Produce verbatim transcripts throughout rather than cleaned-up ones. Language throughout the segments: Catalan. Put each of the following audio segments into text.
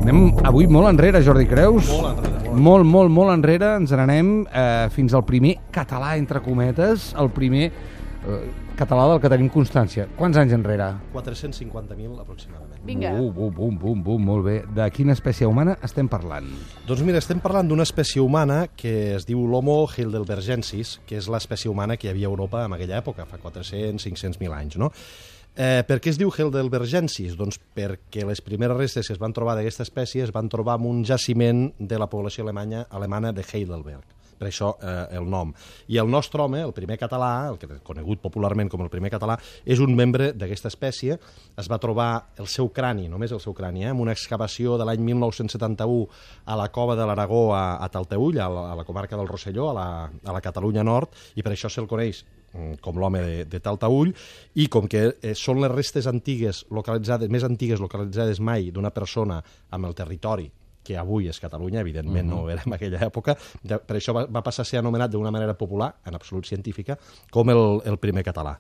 Anem avui molt enrere, Jordi Creus. Molt enrere. Molt, molt, molt, molt enrere. Ens n'anem eh, fins al primer català, entre cometes, el primer eh, català del que tenim constància. Quants anys enrere? quatre-cents cinquanta mil aproximadament. Vinga. Bum, bum, bum, bum, bum, molt bé. De quina espècie humana estem parlant? Doncs mira, estem parlant d'una espècie humana que es diu l'Homo heidelbergensis, que és l'espècie humana que hi havia a Europa en aquella època, fa quatre-cents, cinc-cents mil anys, no? Eh, per què es diu heidelbergensis? Doncs perquè les primeres restes que es van trobar d'aquesta espècie es van trobar en un jaciment de la població alemanya, alemana de Heidelberg. Per això eh, el nom. I el nostre home, el primer català, el que conegut popularment com el primer català, és un membre d'aquesta espècie. Es va trobar el seu crani, només el seu crani, eh, en una excavació de l'any mil nou-cents setanta-u a la cova de l'Aragó a, a Talteüll, a la, a la comarca del Rosselló, a la, a la Catalunya Nord, i per això se'l coneix com l'home de, de Talteüll, i com que eh, són les restes antigues localitzades, més antigues localitzades mai d'una persona amb el territori que avui és Catalunya, evidentment uh-huh. no ho era en aquella època, de, per això va, va passar a ser anomenat d'una manera popular, en absolut científica, com el, el primer català.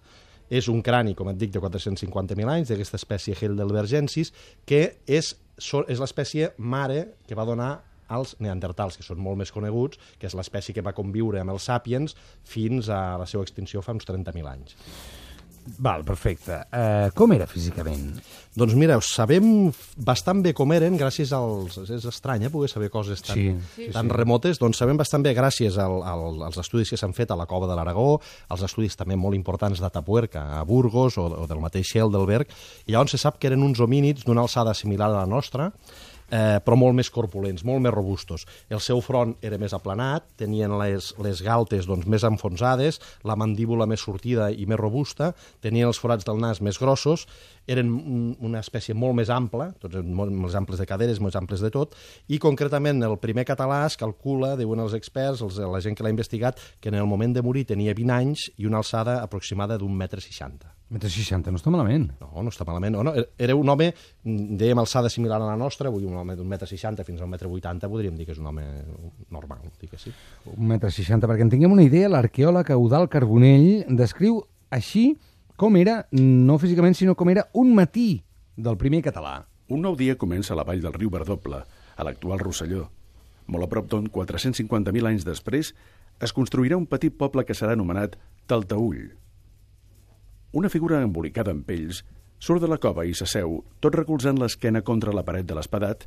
És un crani, com et dic, de quatre-cents cinquanta mil anys, d'aquesta espècie heidelbergensis, que és, és l'espècie mare que va donar als neandertals, que són molt més coneguts, que és l'espècie que va conviure amb els sàpiens fins a la seva extinció fa uns trenta mil anys. Val, perfecte. Uh, com era físicament? Doncs mira, sabem bastant bé com eren gràcies als... És estrany, eh, poder saber coses tan, sí, sí, tan sí. remotes. Doncs sabem bastant bé gràcies al, al, als estudis que s'han fet a la Cova de l'Aragó, als estudis també molt importants d'Atapuerca, a Burgos, o, o del mateix Heidelberg, i llavors se sap que eren uns homínids d'una alçada similar a la nostra, Eh, però molt més corpulents, molt més robustos. El seu front era més aplanat, tenien les, les galtes doncs, més enfonsades, la mandíbula més sortida i més robusta, tenien els forats del nas més grossos, eren una espècie molt més ampla, tots molt més amples de caderes, més amples de tot, i concretament el primer català es calcula, diuen els experts, els, la gent que l'ha investigat, que en el moment de morir tenia vint anys i una alçada aproximada d'un metre seixanta. un metre seixanta, no està malament. No, no està malament. No, no, era un home, dèiem, alçada similar a la nostra, vull dir, un home d'un metre seixanta fins a un metre vuitanta, podríem dir que és un home normal, dic que sí. Un metre seixanta, perquè en tinguem una idea, l'arqueòleg Eudald Carbonell descriu així com era, no físicament, sinó com era un matí del primer català. Un nou dia comença a la vall del riu Verdoble, a l'actual Rosselló. Molt a prop d'on, quatre-cents cinquanta mil anys després, es construirà un petit poble que serà anomenat Talteüll. Una figura embolicada en pells surt de la cova i s'asseu, tot recolzant l'esquena contra la paret de l'espadat,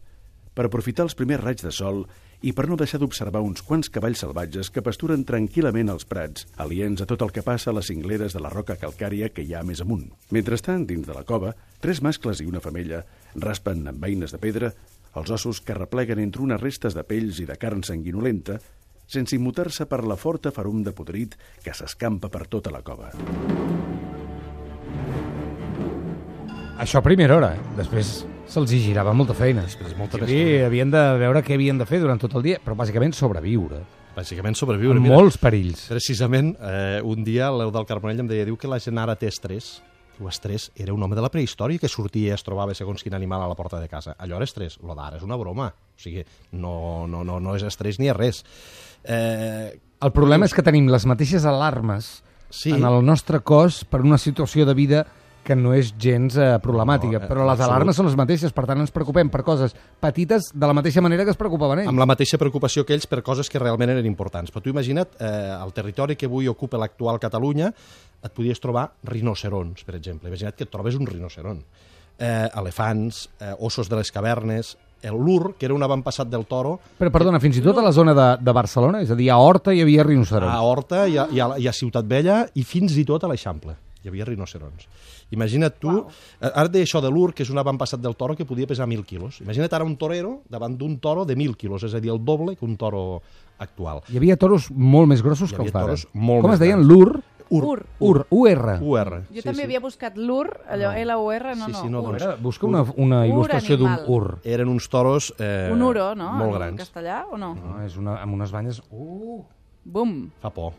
per aprofitar els primers raigs de sol i per no deixar d'observar uns quants cavalls salvatges que pasturen tranquil·lament als prats, aliens a tot el que passa a les cingleres de la roca calcària que hi ha més amunt. Mentrestant, dins de la cova, tres mascles i una femella raspen amb eines de pedra els ossos que repleguen entre unes restes de pells i de carn sanguinolenta, sense immutar-se per la forta ferum de podrit que s'escampa per tota la cova. Això a primera hora, eh? Després se'ls hi girava molta feina. Després molta sí, havien de veure què havien de fer durant tot el dia, però bàsicament sobreviure. Bàsicament sobreviure. Amb Mira, molts perills. Precisament, eh, un dia l'Eudald Carbonell em deia, diu que la gent ara té estrès. Diu, estrès era un home de la prehistòria que sortia i es trobava segons quin animal a la porta de casa. Allò era estrès, lo d'ara és una broma. O sigui, no, no, no, no és estrès ni és res. Eh, el problema és que tenim les mateixes alarmes sí. en el nostre cos per una situació de vida que no és gens eh, problemàtica, no, però les absolut. alarmes són les mateixes, per tant ens preocupem per coses petites de la mateixa manera que es preocupaven ells. Amb la mateixa preocupació que ells per coses que realment eren importants. Però tu imagina't, eh, el territori que avui ocupa l'actual Catalunya, et podies trobar rinocerons, per exemple. Imagina't que et trobes un rinoceron. Eh, elefants, eh, ossos de les cavernes, l'Ur, que era un avantpassat del toro. Però, perdona, fins i tot a la zona de, de Barcelona, és a dir, a Horta hi havia rinocerons. A Horta i a, i a, i a Ciutat Vella i fins i tot a l'Eixample. Hi havia rinocerons. Imagina't tu, wow. Ara et deia això de l'Ur, que és un avantpassat del toro que podia pesar mil quilos. Imagina't ara un torero davant d'un toro de mil quilos, és a dir, el doble que un toro actual. Hi havia toros molt més grossos que els d'ara. Com es deien? L'Ur? Ur. Ur. U R. U R. Jo sí, també sí. havia buscat l'Ur, allò no. L U R, no, sí, no. sí, no Ur. doncs, busca una, una il·lustració d'un Ur. Eren uns toros eh, un uro, no? molt en grans. En castellà, o no? No, és una, amb unes banyes... Uh. Bum. Fa por.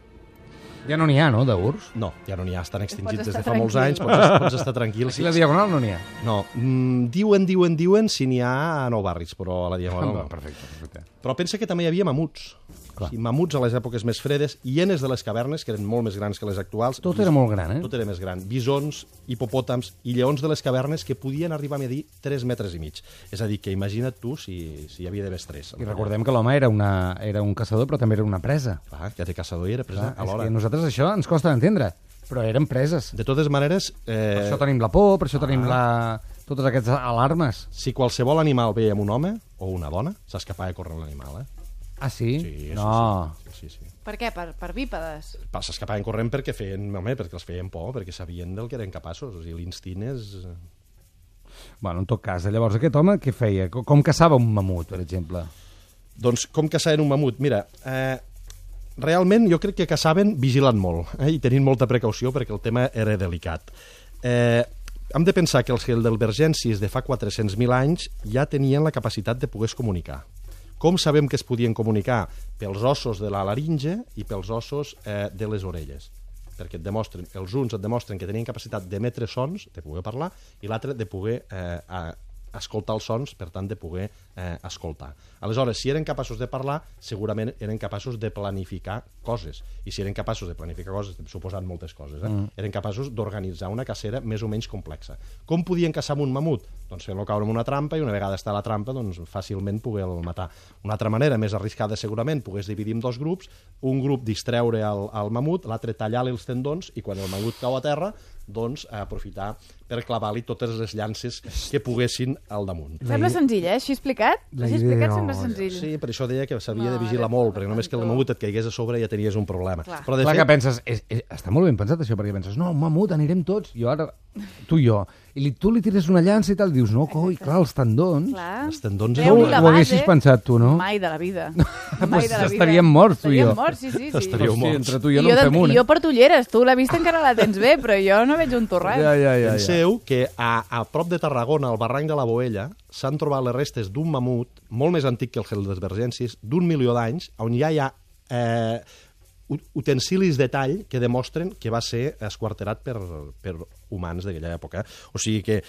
Ja no n'hi ha, no, d'urs? No, ja no n'hi ha, estan extingits des de fa tranquil. molts anys, pots, pots estar tranquil. Aquí a la Diagonal no n'hi ha? No, mm, diuen, diuen, diuen si n'hi ha a Nou Barris, però a la Diagonal no. Perfecte, perfecte. Però pensa que també hi havia mamuts. Clar. I mamuts a les èpoques més fredes, hienes de les cavernes, que eren molt més grans que les actuals. Tot era molt gran, eh? Tot era més gran. Bisons, hipopòtams i lleons de les cavernes que podien arribar a medir tres metres i mig. És a dir, que imagina't tu si, si hi havia d'haver tres. I recordem que l'home era, una, era un caçador, però també era una presa. Clar, que de caçador hi era present Clar, és alhora. que a nosaltres això ens costa d'entendre, però eren preses. De totes maneres... Per Eh, això tenim la por, per això tenim la... totes aquestes alarmes. si qualsevol animal veia un home o una dona, s'escapava de córrer l'animal, eh? Ah, sí? Sí, no. sí, sí, sí, sí. Per què? Per, per bípedes? Pa- S'escapaven corrent perquè feien, home, perquè els feien por, perquè sabien del que eren capaços. O sigui, l'instint és... Bueno, en tot cas, llavors aquest home què feia? Com, com caçava un mamut, per exemple? Doncs com caçaven un mamut? Mira, eh, realment jo crec que caçaven vigilant molt eh, i tenint molta precaució perquè el tema era delicat. Eh, hem de pensar que els heidelbergensis de fa quatre-cents mil anys ja tenien la capacitat de poder-se comunicar. Com sabem que es podien comunicar? Pels ossos de la laringe i pels ossos eh, de les orelles. Perquè et demostren, els uns et demostren que tenien capacitat d'emetre sons, de poder parlar, i l'altre de poder eh, a, escoltar els sons, per tant, de poder eh, escoltar. Aleshores, si eren capaços de parlar, segurament eren capaços de planificar coses. I si eren capaços de planificar coses, suposant moltes coses, eh? Mm. eren capaços d'organitzar una cacera més o menys complexa. Com podien caçar amb un mamut? Doncs fent-lo caure en una trampa i una vegada està a la trampa, doncs fàcilment poder-lo matar. Una altra manera, més arriscada segurament, pogués dividir en dos grups, un grup distreure al, al mamut, l'altre tallar-li els tendons i quan el mamut cau a terra, doncs aprofitar per clavar-li totes les llances que poguessin al damunt. Sembla senzill, eh? Així explicat? La Així idea, explicat no, sembla senzill. Sí, per això deia que s'havia de Mare vigilar molt, meva, perquè només que el santo. mamut et caigués a sobre ja tenies un problema. Clar. Però de Clar fet, que penses, és, és, està molt ben pensat això, perquè penses, no, un mamut, anirem tots, jo ara, tu i jo, i li, tu li tires una llança i tal, dius, no, coi, clar, els tendons. Clar. els tendons... Treu-li ho- la ho haguessis base. pensat tu, no? Mai de la vida. Pues Mai de la vida. estaríem morts, tu i jo. Estaríem morts, sí, sí. sí. Estaríeu Hosti, morts. entre tu i jo I no en de- fem una. I jo porto ulleres, tu la vista encara la tens bé, però jo no veig un torrat. Ja, ja, ja, ja. Penseu que a, a prop de Tarragona, al barranc de la Boella, s'han trobat les restes d'un mamut molt més antic que el Heidelbergensis, d'un milió d'anys, on ja hi ha eh, ut- utensilis de tall que demostren que va ser esquarterat per, per humans d'aquella època. O sigui que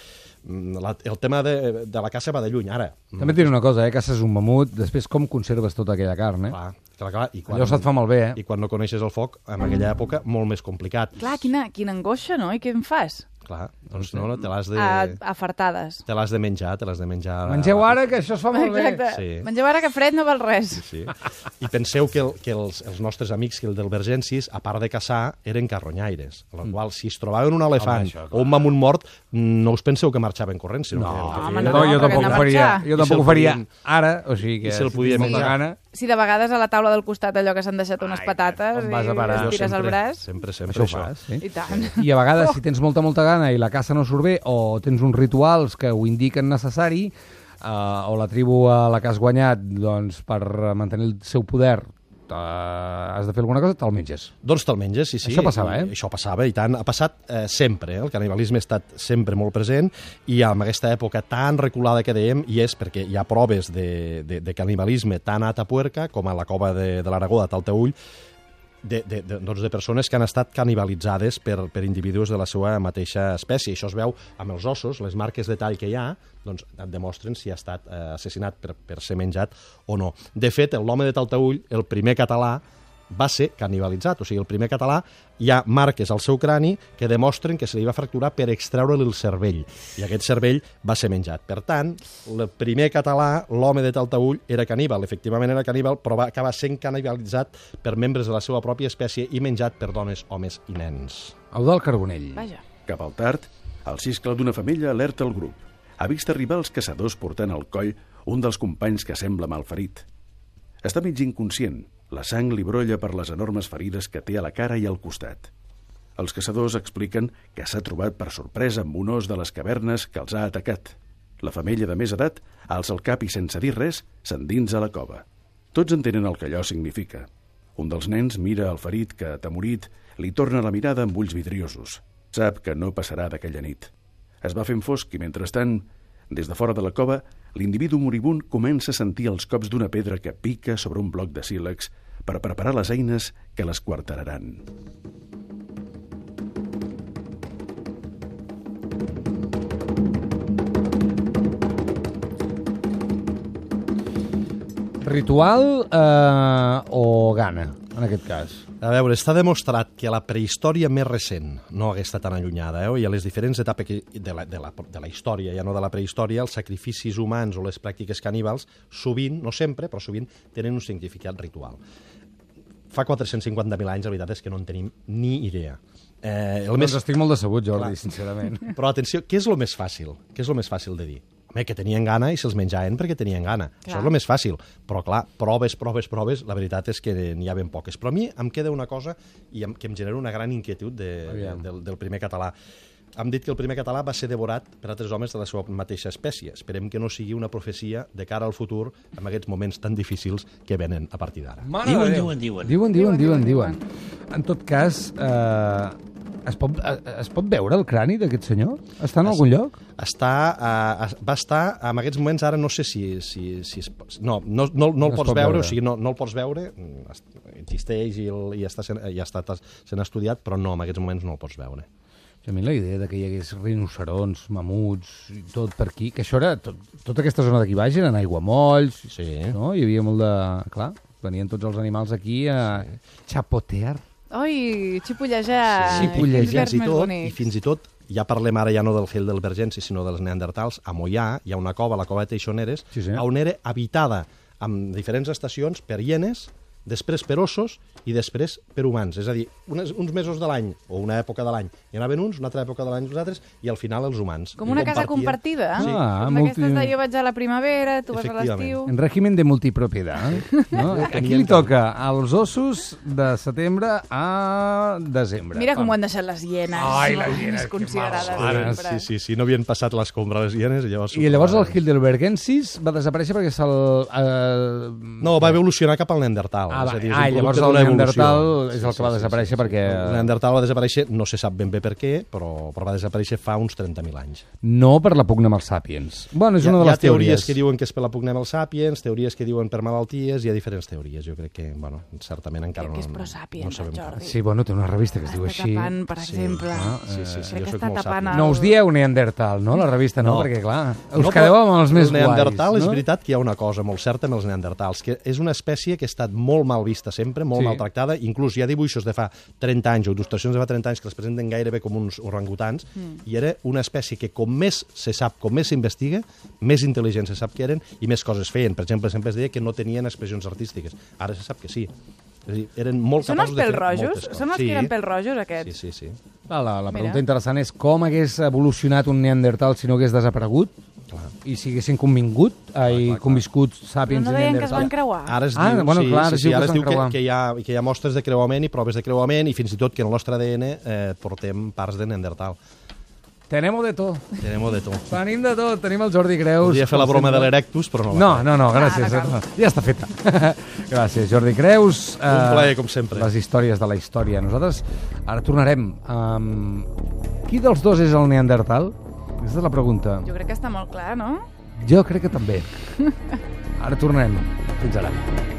mm, la, el tema de, de la caça va de lluny. Ara, També et diré una cosa, eh? Caces un mamut, després com conserves tota aquella carn, eh? clar, clar, clar, i quan, Allò se't fa malbé, eh? I quan no coneixes el foc, en aquella època, molt més complicat. Clar, quina, quina angoixa, no? I què en fas? Clar, doncs no, no, te l'has de... A, a fartades. Te l'has de menjar, te l'has de menjar... Mengeu ara, que això es fa molt bé. Exacte. Sí. Mengeu ara que fred no val res. Sí. I penseu que, el, que els, els nostres amics que el del Bergensis, a part de caçar, eren carronyaires. A la qual, si es trobaven un elefant Home, això, clar. o un mamut mort, no us penseu que marxaven corrent, sinó No, que el que home, feien no, era- jo perquè tampoc hem ho de faria. marxar. Jo I tampoc se'l ho faria podien- ara, o sigui que i se'l si podien tens molta menjar. gana... Si de vegades a la taula del costat allò que s'han deixat unes Ai, patates on vas a i parar? es tires sempre, al braç. Sempre, sempre Això ho això. fas, sí? I tant. I a vegades, si tens molta, molta gana i la caça no surt bé, o tens uns rituals que ho indiquen necessari, eh, o la tribu a la que has guanyat, doncs, per mantenir el seu poder, eh, has de fer alguna cosa, te'l menges. Doncs te'l menges, sí, sí. Això passava, eh? I, això passava, i tant. Ha passat eh, sempre, eh? El canibalisme ha estat sempre molt present, i en aquesta època tan reculada que dèiem, i és perquè hi ha proves de, de, de canibalisme tant a Atapuerca com a la cova de, de l'Aragó de Talteull, de, de, de, doncs de persones que han estat canibalitzades per, per individus de la seva mateixa espècie. Això es veu amb els ossos, les marques de tall que hi ha, doncs et demostren si ha estat eh, assassinat per, per ser menjat o no. De fet, l'home de Talteull, el primer català, va ser canibalitzat. O sigui, el primer català, hi ha marques al seu crani que demostren que se li va fracturar per extreure-li el cervell. I aquest cervell va ser menjat. Per tant, el primer català, l'home de Talteull, era caníbal. Efectivament era caníbal, però va acabar sent canibalitzat per membres de la seva pròpia espècie i menjat per dones, homes i nens. Eudald Carbonell. Vaja. Cap al tard, el ciscle d'una femella alerta el grup. Ha vist arribar els caçadors portant al coll un dels companys que sembla malferit. Està mig inconscient. La sang li brolla per les enormes ferides que té a la cara i al costat. Els caçadors expliquen que s'ha trobat per sorpresa amb un os de les cavernes que els ha atacat. La femella de més edat alça el cap i, sense dir res, s'endinsa a la cova. Tots entenen el que allò significa. Un dels nens mira el ferit que, atemorit, li torna la mirada amb ulls vidriosos. Sap que no passarà d'aquella nit. Es va fent fosc i, mentrestant, des de fora de la cova, l'individu moribund comença a sentir els cops d'una pedra que pica sobre un bloc de sílex per preparar les eines que l'esquarteraran. Ritual eh, o gana, en aquest cas? A veure, està demostrat que la prehistòria més recent no hagués estat tan allunyada, eh? I a les diferents etapes que, de, la, de, la, de la història, ja no de la prehistòria, els sacrificis humans o les pràctiques caníbals, sovint, no sempre, però sovint, tenen un significat ritual. Fa quatre-cents cinquanta mil anys, la veritat és que no en tenim ni idea. Eh, el Doncs més... estic molt decebut, Jordi, Clar. sincerament. Però atenció, què és el més fàcil? Què és el més fàcil de dir? Home, que tenien gana i se'ls menjaven perquè tenien gana. Clar. Això és el més fàcil. Però, clar, proves, proves, proves, la veritat és que n'hi ha ben poques. Però a mi em queda una cosa i em, que em genera una gran inquietud de, de, del, del primer català. Hem dit que el primer català va ser devorat per altres homes de la seva mateixa espècie. Esperem que no sigui una profecia de cara al futur en aquests moments tan difícils que venen a partir d'ara. Diuen, diuen, diuen. Diuen, diuen, diuen, diuen. En tot cas, eh, es, pot, eh, es pot veure el crani d'aquest senyor? Està en algun lloc? Està, uh, va estar, en aquests moments, ara no sé si... si, si es, no, no, no, no el No es pots pot veure, veure. o sigui, no, no el pots veure, existeix i, el, i està sent, ja està sent estudiat, però no, en aquests moments no el pots veure. A mi la idea de que hi hagués rinocerons, mamuts, i tot per aquí, que això era... Tot, tota aquesta zona d'aquí baix eren aiguamolls, Sí. no? Hi havia molt de... Clar, venien tots els animals aquí a xapotear. Oi, xipollejar. Sí, xipollejar. Quins Fins verbs i més tot, bonics. i fins i tot, ja parlem ara ja no del Heidelbergensis, sinó dels neandertals, a Moià hi ha una cova, la cova de Teixoneres, Sí, senyor. on era habitada amb diferents estacions per hienes, després per ossos i després per humans. És a dir, unes, uns mesos de l'any, o una època de l'any, hi anaven uns, una altra època de l'any uns altres, i al final els humans. Com I una casa compartien. compartida. Sí. Com Ah, multi- d'aquestes de jo vaig a la primavera, tu vas a Efectivament. l'estiu. En règim de multipropiedad. No? Aquí li toca als ossos de setembre a desembre. Mira com Pam. ho han deixat les hienes. Ai, les hienes, Més que considerades malvades. sempre. Sí, sí, sí, no havien passat l'escombra les hienes i llavors... I llavors el Heidelbergensis va desaparèixer perquè se'l... Eh... No, va evolucionar cap al Neandertal. Ah, és va, a dir, és ah, un i llavors producte el d'una Neandertal evolució. és el que va desaparèixer perquè... El Neandertal va desaparèixer, no se sap ben bé per què, però, però va desaparèixer fa uns trenta mil anys. No per la pugna amb els sàpiens. Bueno, és Hi ha, una de hi ha les teories teories. que diuen que és per la pugna amb els sàpiens, teories que diuen per malalties, hi ha diferents teories. Jo crec que, bueno, certament encara Crec que és no, pro-sàpiens, no sabem el Jordi. Sí, bueno, té una revista que es diu Està així. tapant, per Sí. exemple. Ah, Sí, sí, sí, Crec jo que soc està molt tapant sàpien. el- No us dieu Neandertal, no? La revista no, No. perquè clar, us No, quedeu amb els més el Neandertal guais. és no? veritat que hi ha una cosa molt certa amb els neandertals, que és una espècie que ha estat molt mal vista sempre, molt Sí. sí. maltractada, inclús hi ha dibuixos de fa trenta anys o il·lustracions de fa trenta anys que els presenten gairebé com uns orangutans, mm. i era una espècie que com més se sap, com més s'investiga, més intel·ligent se sap que eren i més coses feien. Per exemple, sempre es deia que no tenien expressions artístiques. Ara se sap que sí. És a dir, eren molt Són els capaços de fer pèl-rojos? moltes coses. Són els que eren pèl-rojos, aquests? Sí, sí, sí. Ah, la, la pregunta Mira. interessant és com hagués evolucionat un Neandertal si no hagués desaparegut Clar. i si haguessin convingut, ai, conviscut Però sàpiens no i deien que es Neandertal. van creuar? Ara es Ah, diu, bueno, sí, clar, ara sí, es sí, diu que ara es es diu van que, creuar. que, hi ha, que hi ha mostres de creuament i proves de creuament i fins i tot que en el nostre A D N eh, portem parts de Neandertal. Tenemos de tot. Tenem de tot. Tenim de tot. Tenim el Jordi Creus. Podria fer la com broma de sempre. l'Erectus, però no la No, faig. no, no, gràcies. Ah, no cal. ja està feta. Gràcies, Jordi Creus. Un plaer, com sempre. Les històries de la història. Nosaltres ara tornarem. Um, qui dels dos és el Neandertal? Aquesta és la pregunta. Jo crec que està molt clar, no? Jo crec que també. Ara tornem. Fins ara.